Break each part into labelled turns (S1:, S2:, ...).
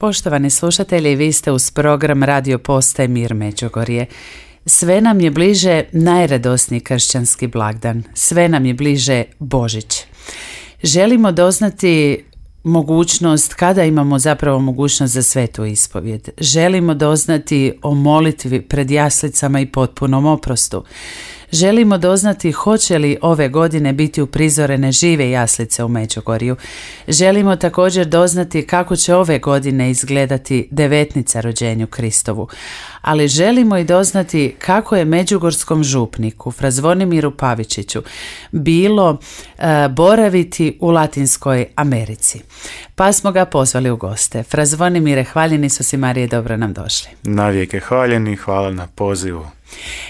S1: Poštovani slušatelji, vi ste uz program Radio Postaje Mir Međugorje. Sve nam je bliže najradosniji kršćanski blagdan, sve nam je bliže Božić. Želimo doznati mogućnost, kada imamo zapravo mogućnost za svetu ispovjed. Želimo doznati o molitvi pred jaslicama i potpunom oprostu. Želimo doznati hoće li ove godine biti uprizorene žive jaslice u Međugorju. Želimo također doznati kako će ove godine izgledati devetnica rođenju Kristovu. Ali želimo i doznati kako je međugorskom župniku Fra Zvonimiru Pavičiću bilo boraviti u Latinskoj Americi. Pa smo ga pozvali u goste. Fra Zvonimire, hvaljeni Isus i Marije, dobro nam došli.
S2: Navijek hvaljeni, hvala na pozivu.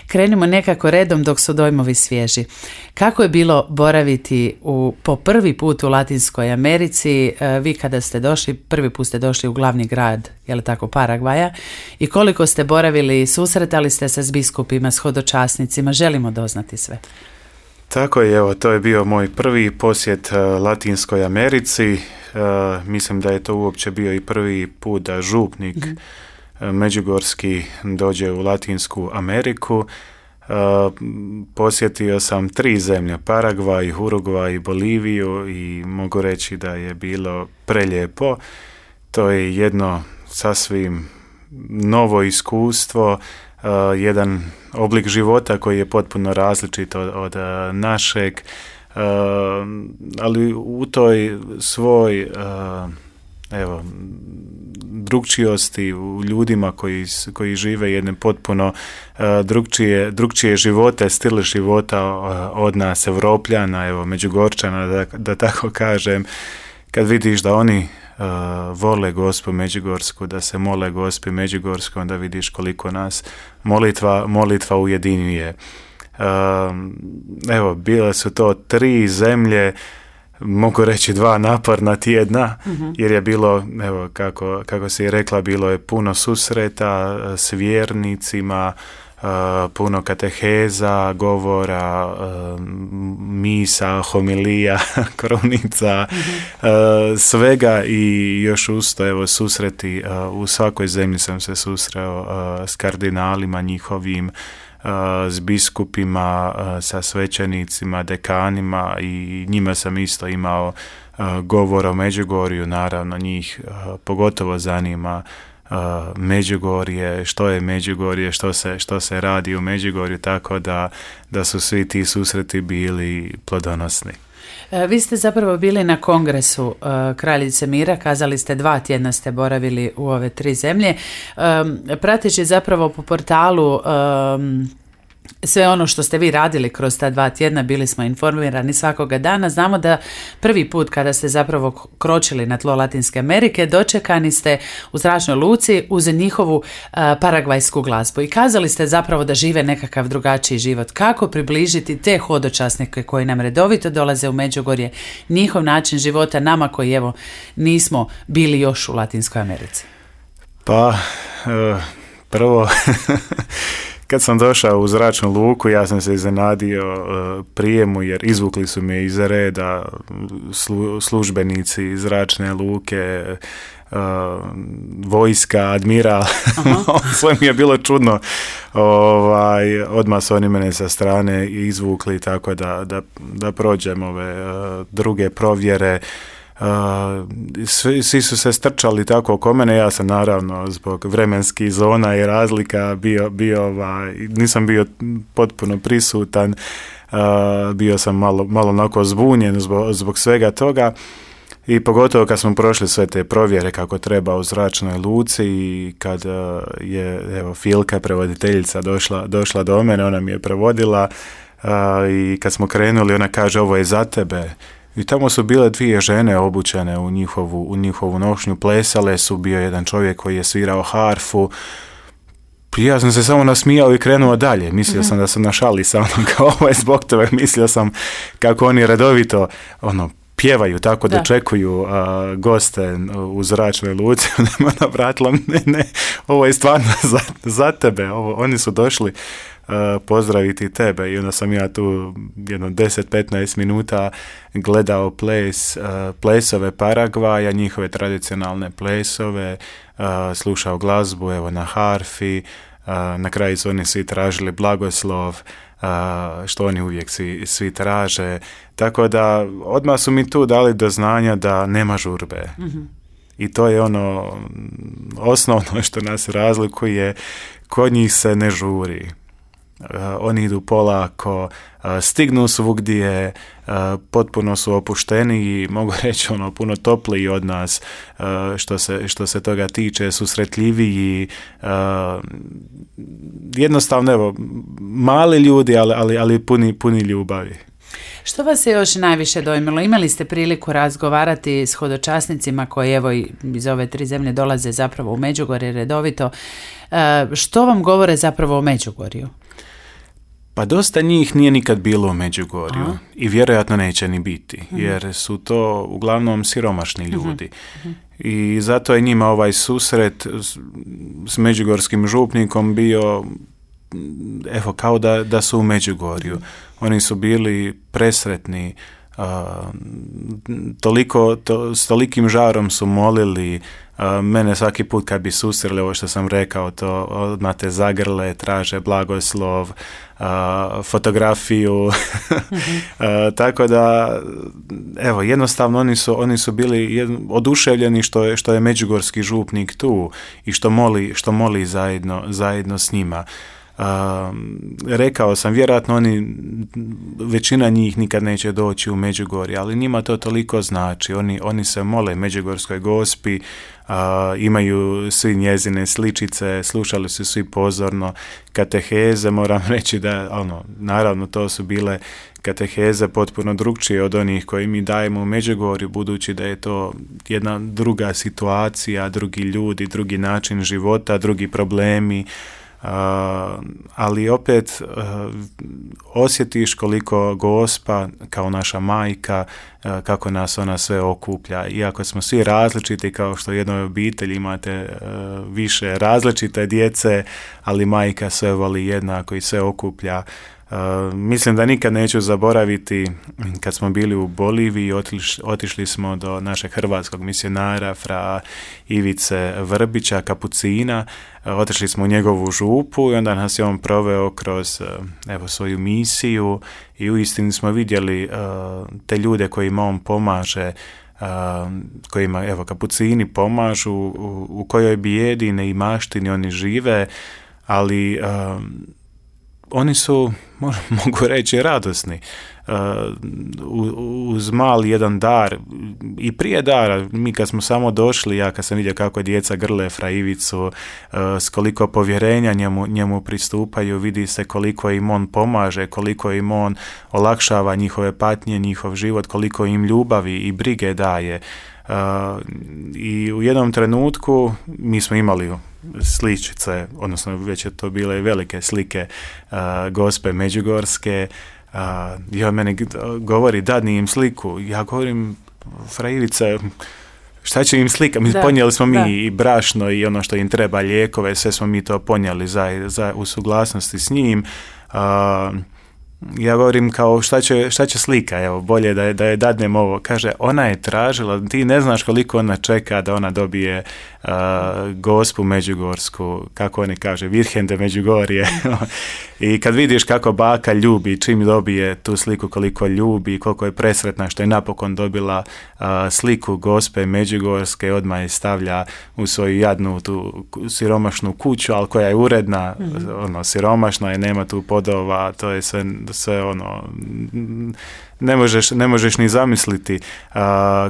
S1: Krenimo nekako redom dok su dojmovi svježi. Kako je bilo boraviti po prvi put u Latinskoj Americi? Vi kada ste došli, prvi put ste došli u glavni grad, je li tako, Paragvaja, i koliko ste boravili, susretali ste se s biskupima, s hodočasnicima, želimo doznati sve.
S2: Tako je, evo, to je bio moj prvi posjet Latinskoj Americi. Mislim da je to uopće bio i prvi put da župnik međugorski dođe u Latinsku Ameriku. Posjetio sam 3 zemlje, Paragvaj, Urugvaj i Boliviju, i mogu reći da je bilo prelijepo. To je jedno sasvim novo iskustvo, jedan oblik života koji je potpuno različit od našeg, ali u toj svoj drugčijosti u ljudima koji žive jedne potpuno drugčije živote, stil života od nas Evropljana, evo, Međugorčana, da tako kažem. Kad vidiš da oni vole Gospu Međugorsku, da se mole Gospi Međugorskoj, onda vidiš koliko nas molitva ujedinjuje. Evo, bile su to 3 zemlje, mogu reći 2 naporna tjedna, jer je bilo, evo, kako si rekla, bilo je puno susreta s vjernicima, puno kateheza, govora, misa, homilija, krunica, svega, i još usto, evo, susreti. U svakoj zemlji sam se susreo s kardinalima njihovim, s biskupima, sa svećenicima, dekanima, i njima sam isto imao govor o Međugorju. Naravno, njih pogotovo zanima Međugorje, što je Međugorje, što se radi u Međugorju, tako da su svi ti susreti bili plodonosni.
S1: Vi ste zapravo bili na kongresu Kraljice Mira, kazali ste 2 tjedna ste boravili u ove 3 zemlje. Prateći zapravo po portalu sve ono što ste vi radili kroz ta 2 tjedna, bili smo informirani svakoga dana. Znamo da prvi put kada ste zapravo kročili na tlo Latinske Amerike, dočekani ste u zračnoj luci uz njihovu paragvajsku glazbu, i kazali ste zapravo da žive nekakav drugačiji život. Kako približiti te hodočasnike koji nam redovito dolaze u Međugorje, njihov način života nama koji, evo, nismo bili još u Latinskoj Americi?
S2: Pa, prvo... Kad sam došao u zračnu luku, ja sam se iznenadio prijemu, jer izvukli su me iz reda službenici zračne luke, vojska, admiral. Sve mi je bilo čudno. Odmah su oni mene sa strane izvukli, tako da prođem ove druge provjere. Svi su se strčali tako oko mene. Ja sam, naravno, zbog vremenskih zona i razlika nisam bio potpuno prisutan, bio sam malo onako zbunjen zbog svega toga, i pogotovo kad smo prošli sve te provjere kako treba u zračnoj luci, i kad je, evo, Filka, prevoditeljica, došla do mene, ona mi je prevodila, i kad smo krenuli, ona kaže: ovo je za tebe. I tamo su bile 2 žene obučene u njihovu nošnju, plesale su, bio jedan čovjek koji je svirao harfu. Ja sam se samo nasmijao i krenuo dalje. Mislio sam da sam na šali sa mnom, kao ovo je zbog toga. Mislio sam kako oni redovito pjevaju, tako da čekuju goste u zračnoj luci. Ona vratila, ne, ovo je stvarno za tebe, oni su došli pozdraviti tebe. I onda sam ja tu jedno 10-15 minuta gledao plesove Paragvaja, njihove tradicionalne plesove, slušao glazbu evo na harfi, na kraju su oni svi tražili blagoslov, što oni uvijek svi traže, tako da odmah su mi tu dali do znanja da nema žurbe. I to je ono osnovno što nas razlikuje, kod njih se ne žuri. Oni idu polako, stignu svugdje, potpuno su opušteni i mogu reći puno topliji od nas što se toga tiče, susretljiviji, jednostavno evo, mali ljudi, ali puni ljubavi.
S1: Što vas je još najviše dojmilo? Imali ste priliku razgovarati s hodočasnicima koji evo iz ove 3 zemlje dolaze zapravo u Međugorje redovito. Što vam govore zapravo o Međugorju?
S2: Pa dosta njih nije nikad bilo u Međugorju i vjerojatno neće ni biti, jer su to uglavnom siromašni ljudi. I zato je njima ovaj susret s međugorskim župnikom bio evo kao da su u Međugorju. Oni su bili presretni, s tolikim žarom su molili. Mene svaki put kad bi susreli, ovo što sam rekao, to odmah te zagrle, traže blagoslov, fotografiju. Tako da evo, jednostavno oni su bili oduševljeni što je međugorski župnik tu i što moli zajedno s njima. Rekao sam, vjerojatno većina njih nikad neće doći u Međugorje, ali njima to toliko znači. Oni se mole Međugorskoj Gospi, imaju svi njezine sličice, slušali su svi pozorno kateheze. Moram reći da naravno to su bile kateheze potpuno drugčije od onih koje mi dajemo u Međugorju, budući da je to jedna druga situacija, drugi ljudi, drugi način života, drugi problemi. Ali opet osjetiš koliko Gospa kao naša majka, kako nas ona sve okuplja. Iako smo svi različiti, kao što u jednoj obitelji imate više različite djece, ali majka sve voli jednako i sve okuplja. Mislim da nikad neću zaboraviti kad smo bili u Boliviji, otišli smo do našeg hrvatskog misionara fra Ivice Vrbića, kapucina, otišli smo u njegovu župu i onda nas je on proveo kroz svoju misiju i uistinu smo vidjeli te ljude kojima on pomaže, kojima kapucini pomažu, u kojoj bijedi i neimaštini oni žive, ali oni su, mogu reći, radosni. Uz mali jedan dar i prije dara, mi kad smo samo došli, ja kad sam vidio kako djeca grle fra Ivicu, s koliko povjerenja njemu pristupaju, vidi se koliko im on pomaže, koliko im on olakšava njihove patnje, njihov život, koliko im ljubavi i brige daje. I u jednom trenutku mi smo imali sličice, odnosno već je to bile velike slike Gospe Međugorske. I on meni govori, dadni im sliku. Ja govorim, fra Ivice, šta će im slika? Ponijeli smo mi i brašno i ono što im treba, lijekove, sve smo mi to ponijeli u suglasnosti s njim. Ja govorim kao šta će slika, evo bolje da je dadnem ovo. Kaže, ona je tražila, ti ne znaš koliko ona čeka da ona dobije Gospu Međugorsku, kako oni kaže, Virhen de Međugorje. I kad vidiš kako baka ljubi, čim dobije tu sliku, koliko ljubi, koliko je presretna što je napokon dobila sliku Gospe Međugorske, odmah je stavlja u svoju jadnu tu siromašnu kuću, ali koja je uredna, siromašna je, nema tu podova, to je sve ne možeš ni zamisliti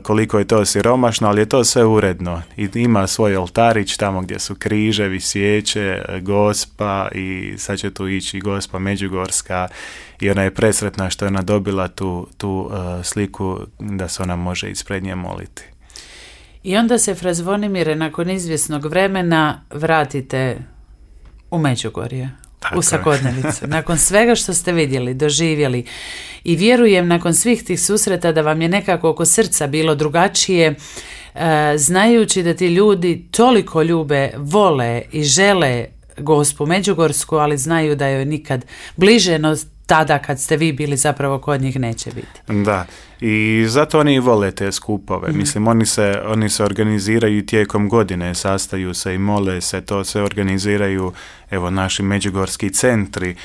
S2: koliko je to siromašno, ali je to sve uredno i ima svoj oltarić tamo gdje su križevi, svijeće, Gospa i sad će tu ići Gospa Međugorska i ona je presretna što je ona dobila tu sliku da se ona može ispred nje moliti.
S1: I onda se, fra Zvonimire, nakon izvjesnog vremena vratite u Međugorje, u svakodnevicu. Nakon svega što ste vidjeli, doživjeli i vjerujem nakon svih tih susreta da vam je nekako oko srca bilo drugačije, znajući da ti ljudi toliko ljube, vole i žele Gospu Međugorsku, ali znaju da joj nikad bliže no tada kad ste vi bili zapravo kod njih neće biti.
S2: Da, i zato oni vole te skupove. Mislim, oni se organiziraju tijekom godine, sastaju se i mole se, to se organiziraju, evo, naši međugorski centri.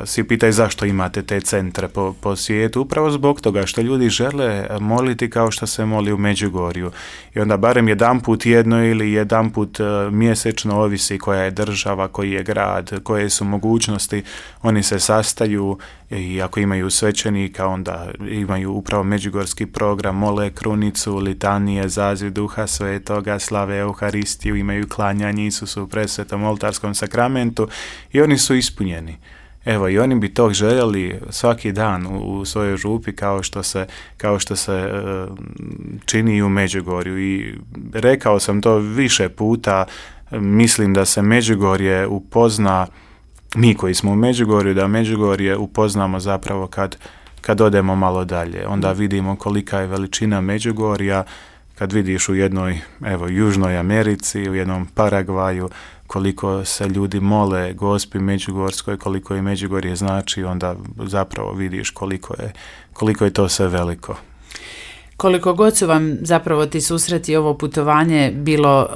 S2: Svi pitaju zašto imate te centre po svijetu, upravo zbog toga što ljudi žele moliti kao što se moli u Međugorju. I onda barem jedanput jedno ili jedanput mjesečno, ovisi koja je država, koji je grad, koje su mogućnosti, oni se sastaju i ako imaju svećenika, onda imaju upravo međugorski program, mole krunicu, litanije, zaziv Duha Svetoga, slave Euharistiju, imaju klanjanje Isusu u presvetom oltarskom sakramentu i oni su ispunjeni. Evo, i oni bi to željeli svaki dan u svojoj župi kao što se čini i u Međugorju. I rekao sam to više puta, mislim da se Međugorje upozna, mi koji smo u Međugorju, da Međugorje upoznamo zapravo kad odemo malo dalje. Onda vidimo kolika je veličina Međugorja, kad vidiš u jednoj, evo, Južnoj Americi, u jednom Paragvaju, koliko se ljudi mole Gospi Međugorskoj, koliko je Međugorje znači, onda zapravo vidiš koliko je to sve veliko.
S1: Koliko god su vam zapravo ti susreti i ovo putovanje bilo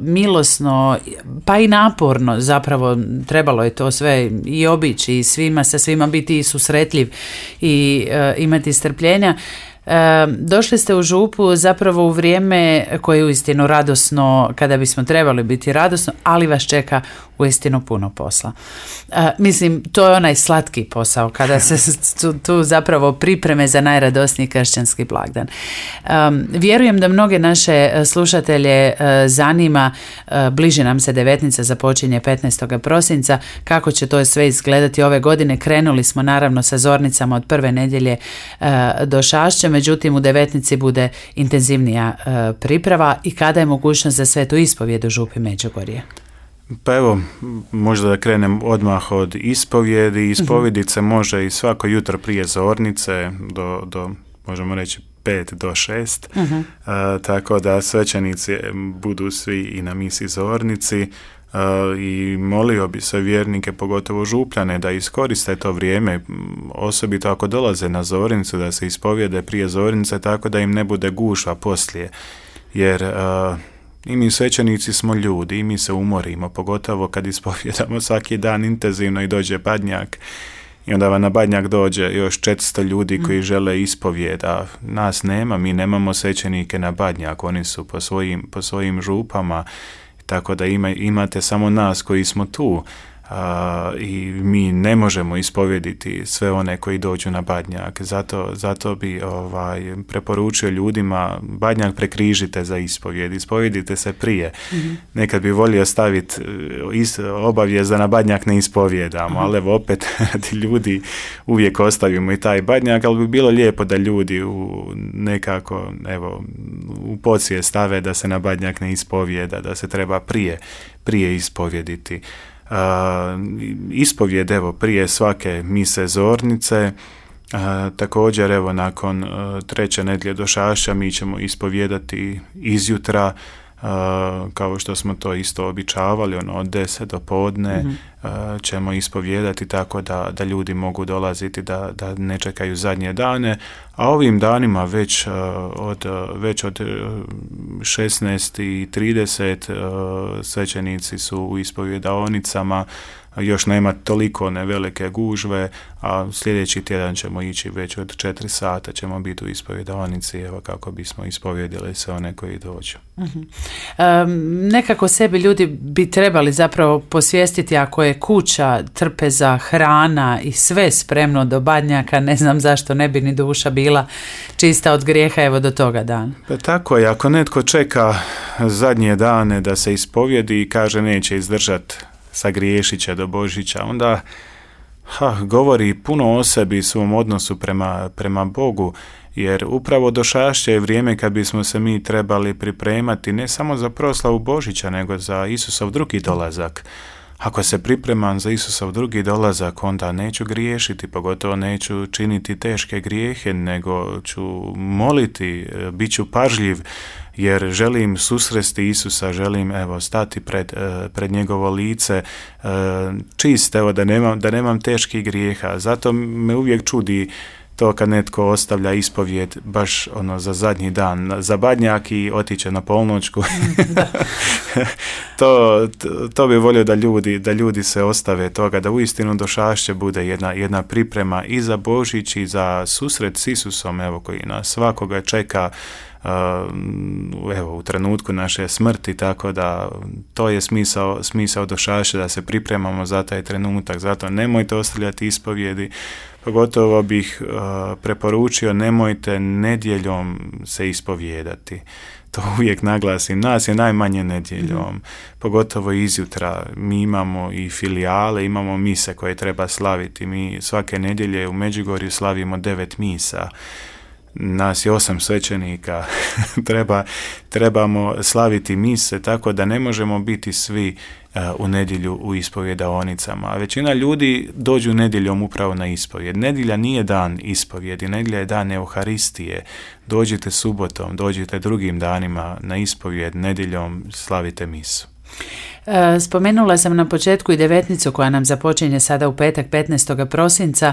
S1: milosno, pa i naporno, zapravo trebalo je to sve i obići i sa svima biti i susretljiv i imati strpljenja. Došli ste u župu zapravo u vrijeme koje je uistinu radosno, kada bismo trebali biti radosno, ali vas čeka uistinu puno posla. Mislim, to je onaj slatki posao kada se tu zapravo pripreme za najradosniji kršćanski blagdan. Vjerujem da mnoge naše slušatelje zanima, bliži nam se devetnica, započinje 15. prosinca, kako će to sve izgledati ove godine. Krenuli smo naravno sa zornicama od prve nedjelje do Šašća, međutim u devetnici bude intenzivnija priprava i kada je mogućnost za svetu ispovijed u župi Međugorje?
S2: Pa evo, možda da krenem odmah od ispovjedi. Ispovijedit se može i svako jutro prije zornice do možemo reći 5 do 6, tako da svećenici budu svi i na misi zornici. I molio bi se vjernike, pogotovo župljane, da iskoriste to vrijeme, osobito ako dolaze na zornicu, da se ispovijede prije zornice, tako da im ne bude gužva poslije, jer i mi svećenici smo ljudi i mi se umorimo, pogotovo kad ispovjedamo svaki dan intenzivno i dođe badnjak i onda vam na badnjak dođe još 400 ljudi koji žele ispovijed, a nas nema, mi nemamo svećenike na badnjak, oni su po svojim župama, tako da imate samo nas koji smo tu i mi ne možemo ispovjediti sve one koji dođu na badnjak. Zato bi preporučio ljudima, badnjak prekrižite za ispovjed, ispovjedite se prije. Nekad bi volio staviti obavijest da na badnjak ne ispovjedamo, ali evo opet radi ljudi uvijek ostavimo i taj badnjak, ali bi bilo lijepo da ljudi nekako u podsvije stave da se na badnjak ne ispovjeda, da se treba prije ispovjediti. Ispovjed prije svake mise zornice, također nakon 3. nedjelje do Šašća mi ćemo ispovjedati izjutra, kao što smo to isto običavali, od 10 do podne ćemo ispovjedati, tako da ljudi mogu dolaziti, da ne čekaju zadnje dane, a ovim danima već od 16:30 svećenici su u ispovjedaonicama, još nema toliko velike gužve, a sljedeći tjedan ćemo ići već od 4 sata, ćemo biti u ispovjedaonici, kako bismo ispovjedili sve one koji dođu.
S1: Nekako sebi ljudi bi trebali zapravo posvijestiti, ako je kuća, trpeza, hrana i sve spremno do badnjaka, ne znam zašto ne bi ni duša bila čista od grijeha do toga dana.
S2: Pa tako je, ako netko čeka zadnje dane da se ispovjedi i kaže neće izdržati, sagriješit će do Božića, onda govori puno o sebi i svom odnosu prema Bogu, jer upravo do Šašća je vrijeme kad bismo se mi trebali pripremati ne samo za proslavu Božića, nego za Isusov drugi dolazak. Ako se pripremam za Isusov drugi dolazak, onda neću griješiti, pogotovo neću činiti teške grijehe, nego ću moliti, bit ću pažljiv, jer želim susresti Isusa, želim stati pred njegovo lice čist, da nemam teških grijeha. Zato me uvijek čudi to kad netko ostavlja ispovijed baš za zadnji dan, za badnjak i otiće na polnoćku. To bi volio da ljudi se ostave toga, da uistinu došašće bude jedna priprema i za Božić i za susret s Isusom, koji nas svakoga čeka u trenutku naše smrti, tako da to je smisao došašća, da se pripremamo za taj trenutak. Zato nemojte ostavljati ispovjedi. Pogotovo bih preporučio, nemojte nedjeljom se ispovijedati. To uvijek naglasim, nas je najmanje nedjeljom, pogotovo izjutra. Mi imamo i filijale, imamo mise koje treba slaviti. Mi svake nedjelje u Međugorju slavimo 9 misa. Nas je 8 svećenika, trebamo slaviti mise, tako da ne možemo biti svi u nedjelju u ispovjedaonicama. A većina ljudi dođu nedjeljom upravo na ispovjed. Nedjelja nije dan ispovjedi, nedjelja je dan Euharistije. Dođite subotom, dođite drugim danima na ispovjed, nedjeljom slavite misu.
S1: Spomenula sam na početku i devetnicu koja nam započinje sada u petak 15. prosinca.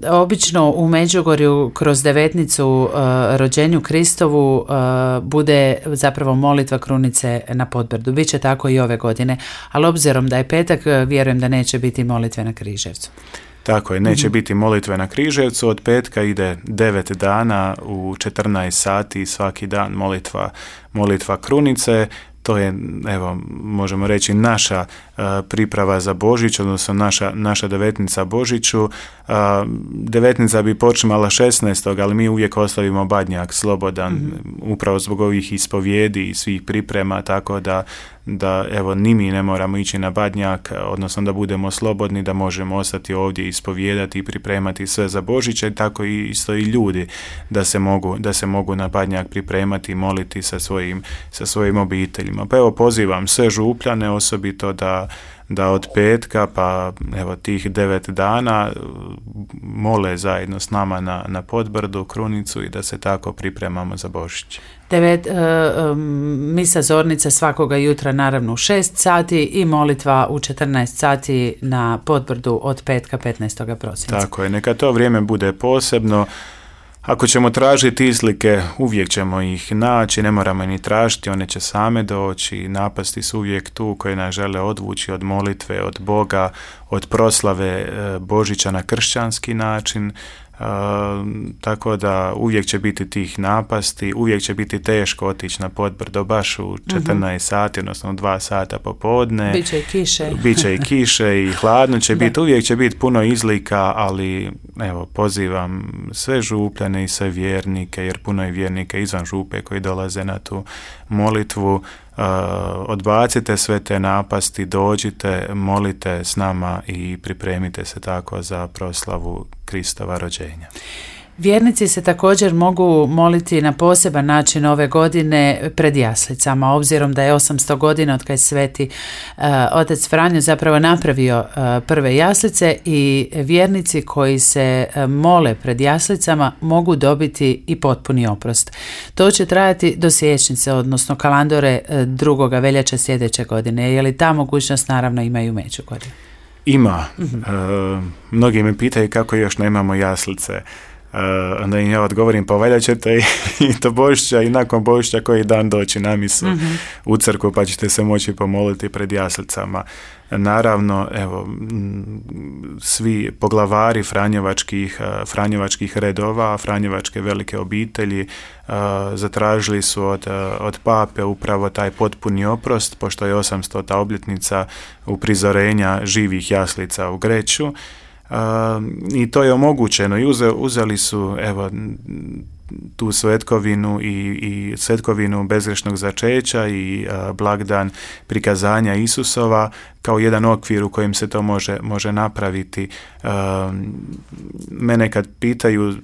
S1: Obično u Međugorju kroz devetnicu rođenju Kristovu bude zapravo molitva krunice na Podbrdu. Biće tako i ove godine, ali obzirom da je petak, vjerujem da neće biti molitve na Križevcu.
S2: Tako je, neće biti molitve na Križevcu, od petka ide 9 dana u 14 sati svaki dan molitva krunice. To je, možemo reći, naša priprava za Božić, odnosno naša devetnica Božiću. Devetnica bi počimala 16. ali mi uvijek ostavimo badnjak slobodan, upravo zbog ovih ispovijedi i svih priprema, tako da ni mi ne moramo ići na badnjak, odnosno da budemo slobodni, da možemo ostati ovdje ispovijedati i pripremati sve za Božiće, tako i isto i ljudi da se mogu na badnjak pripremati i moliti sa svojim obiteljima. Pa pozivam sve župljane osobito da od petka pa tih 9 dana mole zajedno s nama na Podbrdu krunicu i da se tako pripremamo za Božić.
S1: Misa zornica svakoga jutra naravno u 6 sati i molitva u 14 sati na Podbrdu od petka 15. prosinca.
S2: Tako je, neka to vrijeme bude posebno. Ako ćemo tražiti izlike, uvijek ćemo ih naći, ne moramo ni tražiti, one će same doći, napasti su uvijek tu koje nas žele odvući od molitve, od Boga, od proslave Božića na kršćanski način. Tako da uvijek će biti tih napasti, uvijek će biti teško otići na Podbrdo baš u 14 sati, odnosno 2 sata popodne. Biće i kiše i hladno će biti, uvijek će biti puno izlika, ali pozivam sve župljane i sve vjernike, jer puno je vjernika izvan župe koji dolaze na tu molitvu. Odbacite sve te napasti, dođite, molite s nama i pripremite se tako za proslavu Kristova rođenja.
S1: Vjernici se također mogu moliti na poseban način ove godine pred jaslicama, obzirom da je 800 godina od kad je sveti otac Franjo zapravo napravio prve jaslice i vjernici koji se mole pred jaslicama mogu dobiti i potpuni oprost. To će trajati do siječnice, odnosno kalandore 2. veljače sljedeće godine. Je li ta mogućnost naravno ima i u Međugorju?
S2: Ima. Mnogi me pitaju kako još nemamo jaslice. Onda im ja odgovorim, pa valjda ćete i do Božića i nakon Božića koji dan doći na misu u crkvu, pa ćete se moći pomoliti pred jaslicama. Naravno, svi poglavari franjevačkih redova, franjevačke velike obitelji zatražili su od pape upravo taj potpuni oprost, pošto je 800. obljetnica uprizorenja živih jaslica u Greću. I to je omogućeno i uzeli su tu svetkovinu i svetkovinu bezgrešnog začeća i blagdan prikazanja Isusova kao jedan okvir u kojem se to može napraviti. Mene kad pitaju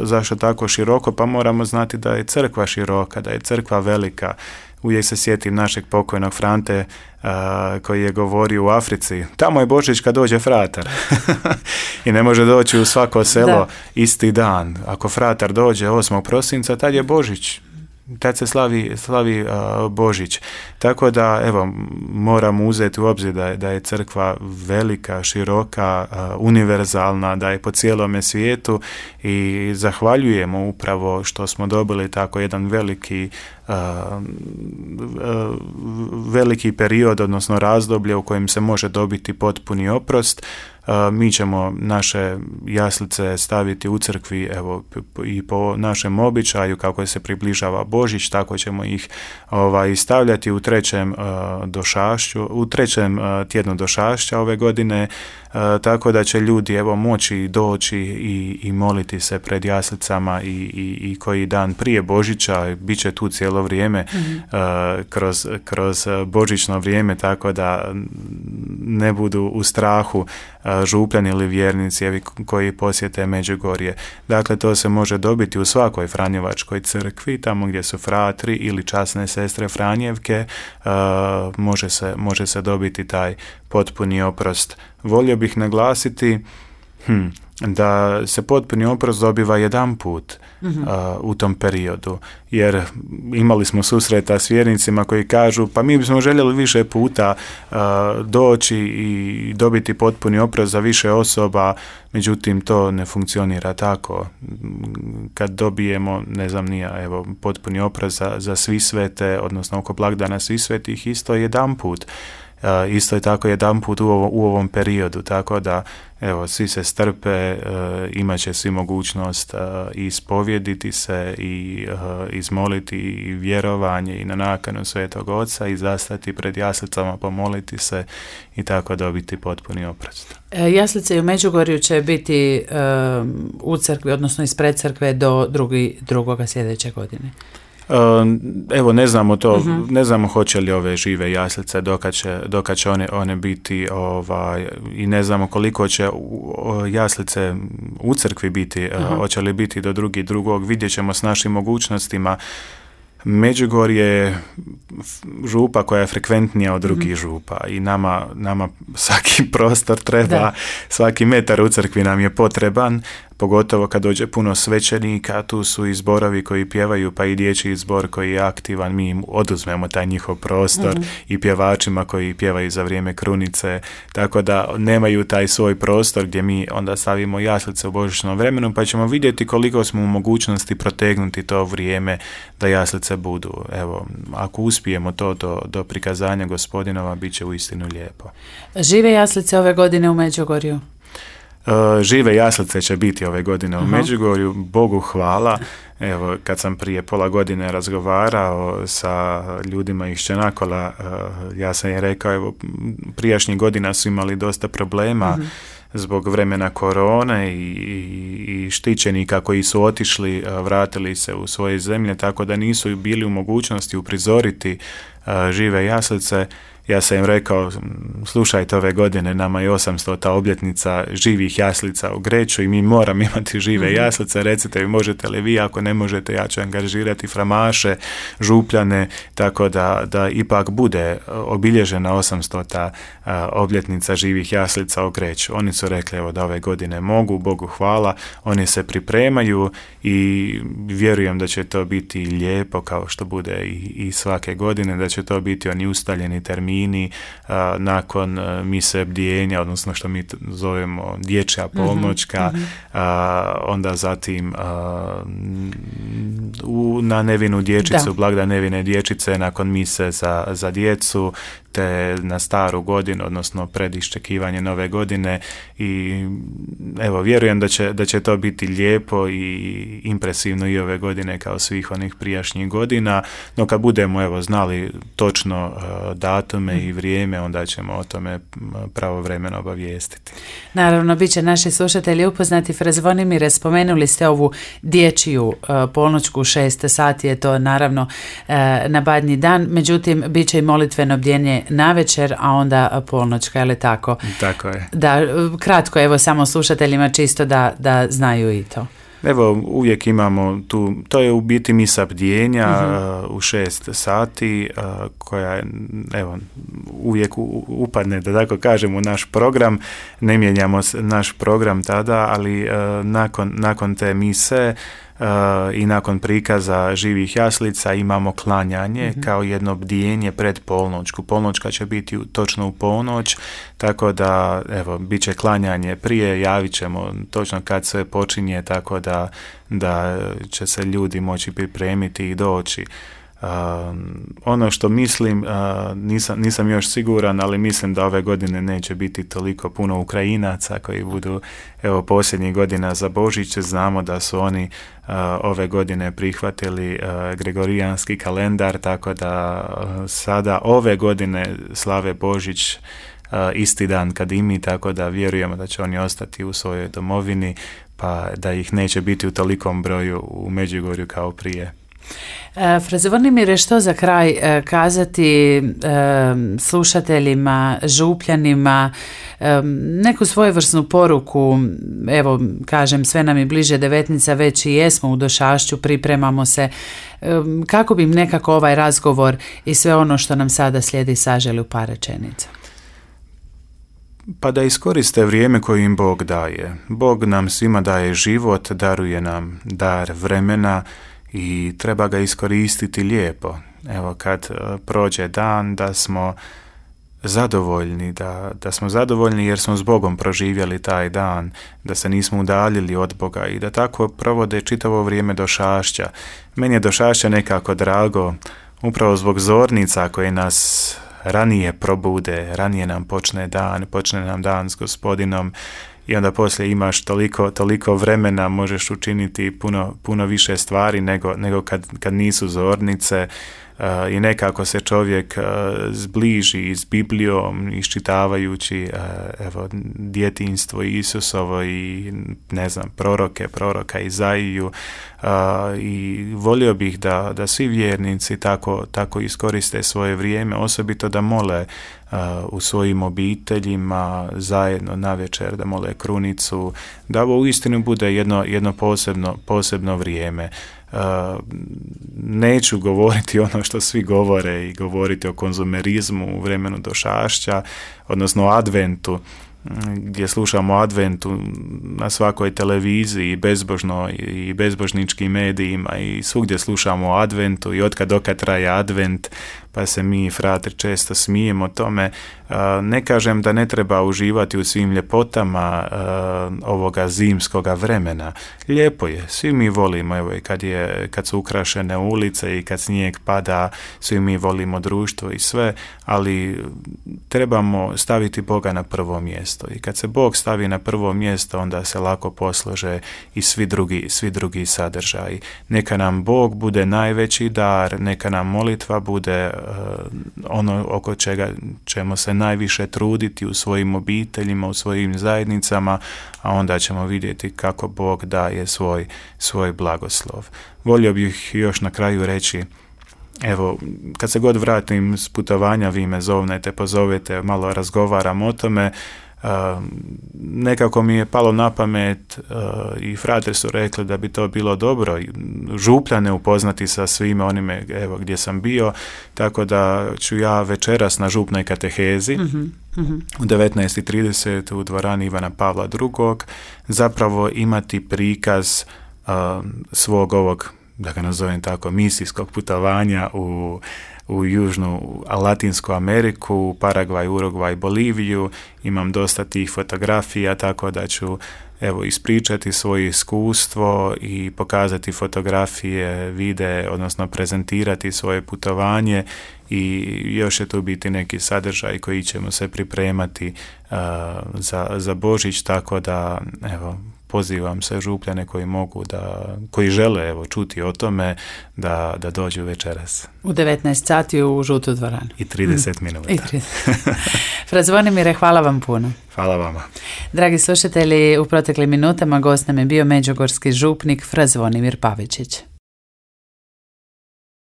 S2: zašto tako široko, pa moramo znati da je crkva široka, da je crkva velika. uvijek se sjetim našeg pokojnog Frante koji je govorio u Africi, tamo je Božić kad dođe fratar. I ne može doći u svako selo isti dan. Ako fratar dođe 8. prosinca, tad je Božić. Tad se slavi Božić. Tako da, evo, moramo uzeti u obzir da je crkva velika, široka, univerzalna, da je po cijelome svijetu i zahvaljujemo upravo što smo dobili tako jedan veliki period, odnosno razdoblje u kojem se može dobiti potpuni oprost. Mi ćemo naše jaslice staviti u crkvi, evo, i po našem običaju, kako se približava Božić, tako ćemo ih stavljati u trećem tjednu došašća ove godine, tako da će ljudi, evo, moći doći i moliti se pred jaslicama i koji dan prije Božića, bit će tu cijelo vrijeme, kroz božićno vrijeme, tako da ne budu u strahu župljani ili vjernici koji posjete Međugorje. Dakle, to se može dobiti u svakoj franjevačkoj crkvi, tamo gdje su fratri ili časne sestre Franjevke, može se dobiti taj potpuni oprost. Volio bih naglasiti da se potpuni oprost dobiva jedan put u tom periodu, jer imali smo susreta s vjernicima koji kažu, pa mi bismo željeli više puta doći i dobiti potpuni oprost za više osoba, međutim to ne funkcionira tako. Kad dobijemo, ne znam nija, evo, potpuni oprost za svi svete, odnosno oko blagdana svi svetih, isto jedan put. Isto je tako jedan put u ovom periodu, tako da, evo, svi se strpe, imat će svi mogućnost ispovjediti se i izmoliti i vjerovanje i na nakanu Svetog Oca i zastati pred jaslicama, pomoliti se i tako dobiti potpuni oprost.
S1: Jaslice u Međugorju će biti u crkvi, odnosno ispred crkve do drugoga sljedeće godine.
S2: Evo, ne znamo to, ne znamo hoće li ove žive jaslice dokad će one biti, i ne znamo koliko će jaslice u crkvi biti, hoće li biti do drugog, vidjet ćemo s našim mogućnostima. Međugorje je župa koja je frekventnija od drugih župa i nama svaki prostor treba, svaki metar u crkvi nam je potreban, pogotovo kad dođe puno svećenika, tu su i zborovi koji pjevaju, pa i dječji zbor koji je aktivan, mi im oduzmemo taj njihov prostor i pjevačima koji pjevaju za vrijeme krunice, tako da nemaju taj svoj prostor gdje mi onda stavimo jaslice u božićnom vremenu, pa ćemo vidjeti koliko smo u mogućnosti protegnuti to vrijeme da jaslice budu. Evo, ako uspijemo to do prikazanja Gospodinova, bit će uistinu lijepo.
S1: Žive jaslice ove godine u Međugorju?
S2: Žive jaslice će biti ove godine u Međugorju, Bogu hvala. Evo, kad sam prije pola godine razgovarao sa ljudima iz Čenakola, ja sam je rekao, evo, prijašnjih godina su imali dosta problema zbog vremena korone i štićenika koji su otišli, vratili se u svoje zemlje, tako da nisu bili u mogućnosti uprizoriti žive jaslice. Ja sam im rekao, slušajte, ove godine nama je 800. obljetnica živih jaslica u Greću i mi moramo imati žive jaslice, recite mi možete li vi, ako ne možete ja ću angažirati framaše, župljane, tako da ipak bude obilježena 800. obljetnica živih jaslica u Greću. Oni su rekli, evo, da ove godine mogu, Bogu hvala, oni se pripremaju i vjerujem da će to biti lijepo kao što bude i svake godine, da će to biti oni ustaljeni termini nakon mise bdijenja, odnosno što mi zovemo dječja polnoćka, onda zatim na nevinu dječicu, blagdan nevine dječice, nakon mise za djecu, te na staru godinu, odnosno pred iščekivanje nove godine, i evo, vjerujem da će to biti lijepo i impresivno i ove godine kao svih onih prijašnjih godina, no kad budemo, evo, znali točno datume i vrijeme, onda ćemo o tome pravovremeno obavijestiti.
S1: Naravno, bit će naši slušatelji upoznati. Fra Zvonimire, spomenuli ste ovu dječju polnoćku, 6 sati je to, naravno, na Badnji dan, međutim, bit će i molitveno bdjenje navečer, a onda polnoćka, je li tako?
S2: Tako je.
S1: Da, kratko, evo, samo slušateljima čisto da znaju i to.
S2: Evo, uvijek imamo tu, to je u biti misa bdjenja u 6 sati, koja je, evo, uvijek upadne, da tako kažem, u naš program. Ne mijenjamo naš program tada, ali nakon te mise i nakon prikaza živih jaslica imamo klanjanje kao jedno bdjenje pred polnoćku. Polnoćka će biti točno u polnoć, tako da, evo, bit će klanjanje prije, javit ćemo točno kad sve počinje, tako da će se ljudi moći pripremiti i doći. Ono što mislim, nisam još siguran, ali mislim da ove godine neće biti toliko puno Ukrajinaca koji budu, evo, posljednjih godina za Božić. Znamo da su oni ove godine prihvatili gregorijanski kalendar, tako da sada ove godine slave Božić isti dan kad i mi, tako da vjerujemo da će oni ostati u svojoj domovini, pa da ih neće biti u tolikom broju u Međugorju kao prije.
S1: Fraze Vornimire, što za kraj kazati slušateljima, župljanima, neku svojevrsnu poruku? Evo, kažem, sve nam je bliže devetnica, već i jesmo u Došašću, pripremamo se. Kako bi im nekako ovaj razgovor i sve ono što nam sada slijedi saželi u par rečenica?
S2: Pa da iskoriste vrijeme koje im Bog daje. Bog nam svima daje život, daruje nam dar vremena i treba ga iskoristiti lijepo. Evo, kad prođe dan, da smo zadovoljni, da smo zadovoljni jer smo s Bogom proživjeli taj dan, da se nismo udaljili od Boga i da tako provode čitavo vrijeme Došašća. Meni je Došašća nekako drago, upravo zbog zornica koje nas ranije probude, ranije nam počne nam dan s Gospodinom, i onda poslije imaš toliko vremena, možeš učiniti puno više stvari nego kad nisu zornice, i nekako se čovjek zbliži s Biblijom, iščitavajući evo, djetinjstvo Isusovo i ne znam, proroka Izaiju, i volio bih da svi vjernici tako iskoriste svoje vrijeme, osobito da mole u svojim obiteljima zajedno navečer, da mole krunicu, da ovo uistinu bude jedno posebno vrijeme. Neću govoriti ono što svi govore i govoriti o konzumerizmu u vremenu Došašća, odnosno o adventu, gdje slušamo o adventu na svakoj televiziji i bezbožničkim medijima i svugdje slušamo o adventu i od kad traje advent, pa se mi, fratri, često smijemo tome. Ne kažem da ne treba uživati u svim ljepotama ovoga zimskoga vremena. Lijepo je, svi mi volimo, evo, kad su ukrašene ulice i kad snijeg pada, svi mi volimo društvo i sve, ali trebamo staviti Boga na prvo mjesto. I kad se Bog stavi na prvo mjesto, onda se lako poslože i svi drugi sadržaji. Neka nam Bog bude najveći dar, neka nam molitva bude ono oko čega ćemo se najviše truditi u svojim obiteljima, u svojim zajednicama, a onda ćemo vidjeti kako Bog daje svoj blagoslov. Volio bih još na kraju reći, evo, kad se god vratim s putovanja, vi me zovnete, pozovete, malo razgovaram o tome. Nekako mi je palo na pamet i frate su rekli da bi to bilo dobro Župljane upoznati sa svime onime, evo, gdje sam bio, tako da ću ja večeras na župnoj katehezi u 19:30 u dvorani Ivana Pavla II. Zapravo imati prikaz svog ovog, da ga nazovem tako, misijskog putovanja u Južnu Latinsku Ameriku, Paragvaj, Urugvaj, Boliviju. Imam dosta tih fotografija, tako da ću, evo, ispričati svoje iskustvo i pokazati fotografije, videe, odnosno prezentirati svoje putovanje, i još je tu biti neki sadržaj koji ćemo se pripremati za Božić, tako da, evo, pozivam sve Župljane koji žele, evo, čuti o tome, da dođu večeras.
S1: U 19 sati u žutu dvoranu.
S2: I 30 minuta.
S1: Fraze Zvonimire, hvala vam puno.
S2: Hvala vama.
S1: Dragi slušatelji, u proteklim minutama gost nam je bio međugorski župnik Fra Zvonimir Pavičić.